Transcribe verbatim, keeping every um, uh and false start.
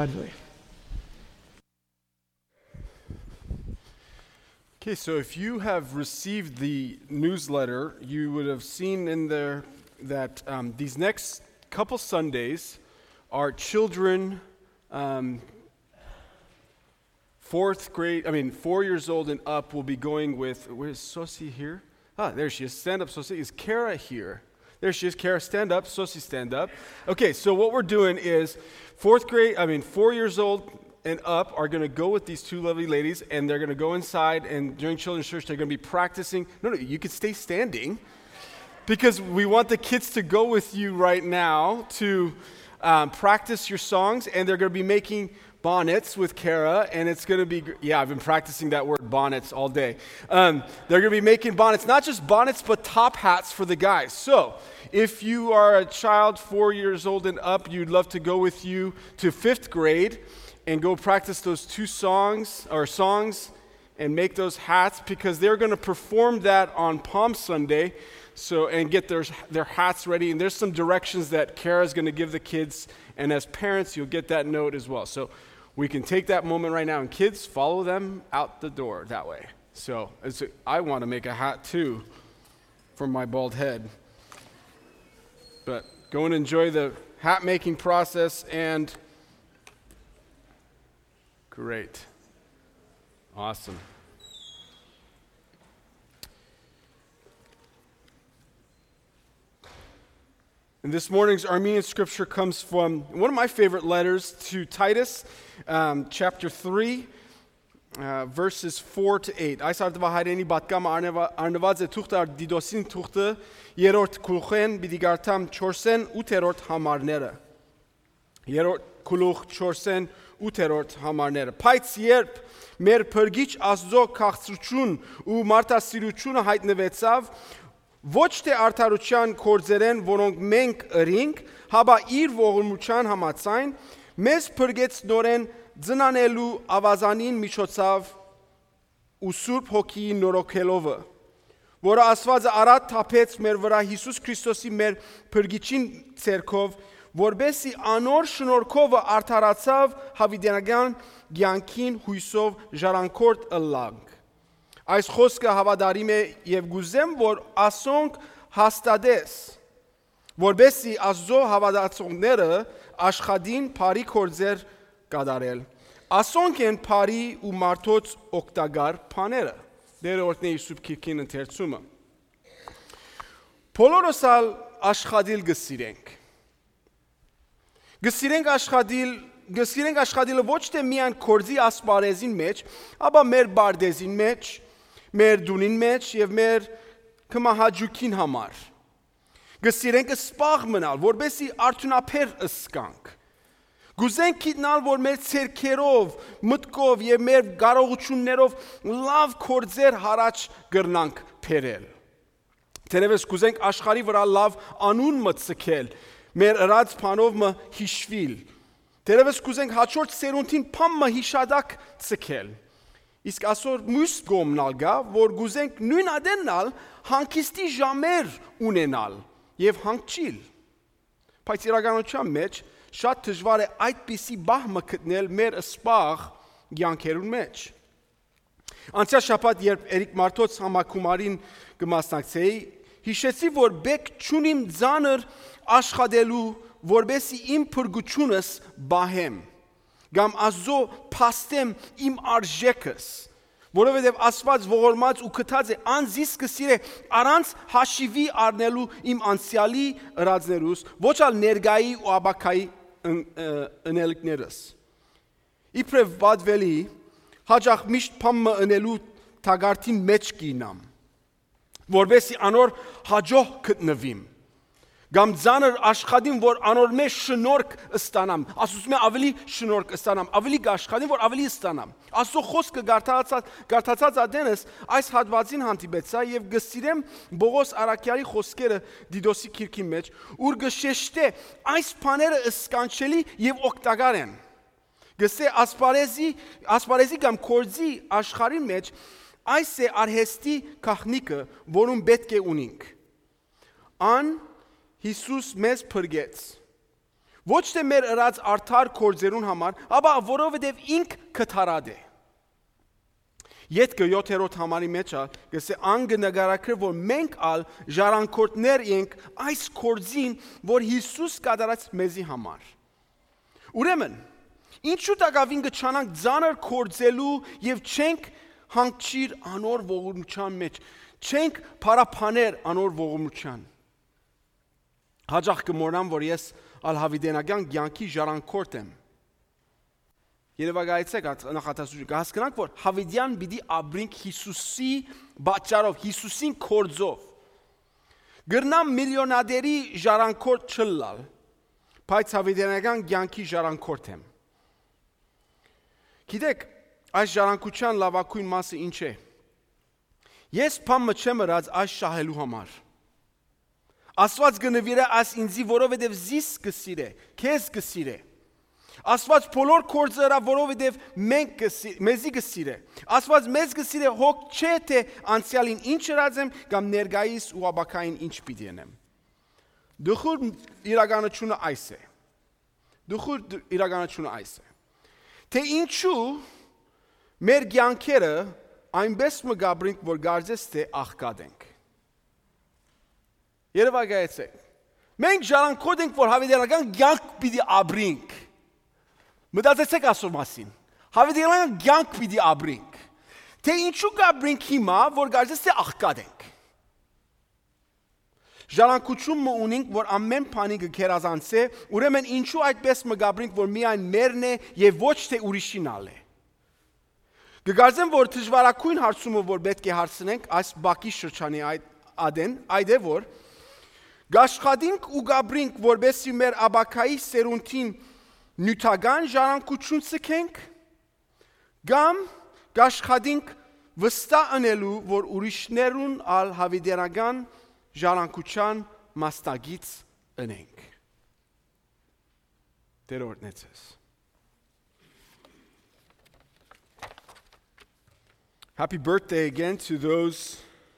Okay, so if you have received the newsletter, you would have seen in there that um, these next couple Sundays are children um, fourth grade, I mean, four years old and up will be going with, where's Sosi here? Ah, there she is. Stand up, Sosi. Is Kara here? There she is. Kara, stand up. Sosi, stand up. Okay, so what we're doing is fourth grade, I mean, four years old and up are going to go with these two lovely ladies, and they're going to go inside, and during children's church, they're going to be practicing. No, no, you can stay standing, because we want the kids to go with you right now to um, practice your songs, and they're going to be making bonnets with Kara, and it's going to be, yeah, I've been practicing that word, bonnets, all day. Um, they're going to be making bonnets, not just bonnets, but top hats for the guys. So if you are a child four years old and up, you'd love to go with you to fifth grade and go practice those two songs or songs and make those hats, because they're going to perform that on Palm Sunday. So and get their their hats ready. And there's some directions that Kara's going to give the kids, and as parents, you'll get that note as well. So we can take that moment right now, and kids, follow them out the door that way. So as a, I want to make a hat too for my bald head. But go and enjoy the hat making process. And great. Awesome. And this morning's Armenian scripture comes from one of my favorite letters to Titus, um, chapter three, uh, verses four to eight. Այս արդվա հայրենի բատկամը արնված է թուղթը դիդոսին թուղթը երորդ քուլխեն բիդի գարտամ չորսեն ութերորդ համարները։ Երորդ քուլուխ չորսեն ութերորդ համարները։ Բայց երբ մեր փրկիչ Աստծո քաղցրություն ու մարդասիրությունը հայտնվեցավ, ոչ թե արդարության կորձերեն, որոնք մենք ըրինք, հաբա իր ողորմության համաձայն, մեզ փրկեց նորեն ձնանելու ավազանին միջոցով ու Սուրբ Հոգիի նորոգելով, որը Աստվածը արատ թափեց մեր վրա Հիսուս Քրիստոսի մեր փրկիչին ցերքով, որբեսի անոր շնորհքով արդարացավ հավիտենական կյանքին հույսով ժառանգորդ ըլլանք։ Այս խոսքը հավատարիմ է եւ գուզեմ, որ ասոնք հաստատես, որբեսի Աստծո հավատացողները աշխատին բարի կորձեր կատարել։ Ասոնք են բարի ու մարդոց օգտակար բաները։ Դերորդների Սուրբ Քիրքին ընթերցումը։ Բոլորս ալ աշխատիլ գսիրենք։ Գսիրենք աշխատիլ Գսիրենք աշխատիլը ոչ թե միայն կորձի ասպարեզին մեջ, ապա մեր բարդեզին մեջ, մեր դունին մեջ եւ մեր կմահաճուքին համար։ Գսիրենք սպաղ մնալ, որբեսի արդյունաբեր ըսկանք։ Գուզենք գիտնալ, որ մեր ցերքերով, մտքով եւ մեր կարողություններով լավ կորձեր հարաճ գրնանք բերել։ Թերևս գուզենք աշխարհի վրա լավ անուն մտցկել, մեր ըրած բանով մը հիշվիլ։ Թերևս կուզենք հաջորդ սերունդին փամը հիշադակ ցկել։ Իսկ այսօր մյուս կողմնալ գա, որ գուզենք նույն ադենալ հանգիստի ժամեր ունենալ եւ հանգչիլ։ Բայց իրականության մեջ շատ դժվար է այդպիսի բահմը գտնել մեր սպաղ կյանքերուն մեջ։ Անցյալ շաբաթ, երբ Էրիկ Մարտոց համակումարին կմասնակցեի, հիշեցի, որ բեք չունիմ ծանր աշխատելու, որբեսի իմ փրկությունս բահեմ, կամ Աստծո փաստեմ իմ արժեքս, որովհետև Աստված ողորմած ու գթած է անձիս կսիրե առանց հաշիվի առնելու իմ անցյալի ըրածներուս, ոչ ալ ներգայի ու աբակայի ընելիքներս։ Իբրև բադվելի, հաջախ միշտ փամը ընելու թագարտին մեջ կինամ, որբեսի անոր հաջող գտնվիմ։ Կամ ծանր աշխատին, որ անոր մեջ շնորհք ստանամ, ասում եմ ավելի շնորհք ստանամ, ավելի աշխատին, որ ավելի ստանամ։ Աստծո խոսքը գարտացած գարտացած ադենս այս հատվածին հանդիպեցա եւ գսիրեմ Բողոս Արաքյալի խոսքերը Դիդոսի քիրքի մեջ, ուր գշեշտե այս բաները ըսկանչելի եւ օգտակար են։ Գսե ասպարեզի ասպարեզի կամ կորձի աշխարհի մեջ այս է արհեստի քախնիկը, որում պետք է ունենք։ Ան Հիսուս մեզ փրկեց, Ոչ թե մեր ըրած արդար կործերուն համար, ապա որովհետև ինք կթարադ է։ Ետքը յոթերորդ համարի մեջ գսե անգը նգարակրը, որ մենք ալ ժառանգորդներ ենք այս կործին, որ Հիսուս կատարած մեզի համար։ Ուրեմն, ինչու տակավին գչանանք ձանր կործելու և չենք հանգչիր անոր ողորմության մեջ, չենք պարապաներ անոր ողորմության։ Հաջախ կմոռնամ, որ ես ալ հավիտենական կյանքի ժառանգորդ եմ։ Երևակայեցեք նախատեսություն, կհասկանանք, որ հավիտյան պիտի ապրենք Հիսուսի պատճառով, Հիսուսին կործով։ Գրնամ միլիոնադերի ժառանգորդ չլալ, բայց հավիտենական կյանքի ժառանգորդ եմ։ Գիտեք, այս ժառանգության լավագույն մասը ինչ է։ Ես բամը չեմ ըրած այս շահելու համար։ Աստված կնվիրե այս ինձի, որովհետև զիս կսիրե, քեզ կսիրե։ Աստված բոլոր կործը ыրա, որովհետև մենք մեզի կսիրե։ Աստված մեզ կսիրե հոգ չէ, թե անցյալին ինչ ըրած եմ, կամ ներկայիս ու ապագային ինչ պիտի անեմ։ Դուխուր իրականությունը այս է։ Դուխուր իրականությունը այս է։ Թե ինչու մեր կյանքերը այնպես մգաբրինք, որ գարձես թե աղքատ ենք։ Երևակայեցեք։ Մենք ժառանգորդ ենք, որ հավիտենական կյանք պիտի ապրենք։ Մտածեցեք ասո մասին։ Հավիտենական կյանք պիտի ապրենք։ Թե ինչու կապրենք հիմա, որ գարձես թե աղքատ ենք։ Ժառանգություն մը ունենք, որ ամեն բանի կգերազանցե, ուրեմն ինչու այդպես մգաբրենք, որ միայն մերն է եւ ոչ թե ուրիշին ալ է։ Կգարձեմ, որ դժվարակույն հարցումը, որ պետք է հարցնենք այս բակի շրջանի ադեն, այդ է որ գաշխատինք ու գաբրինք, որբեսի մեր աբակայի սերունդին նյութական ժառանգություն ցկենք, կամ գաշխատինք վստահ անելու, որ ուրիշներուն ալ հավիտենական ժառանգության մասնագից ընենք։ Տերորտնեցես։ Happy birthday again to those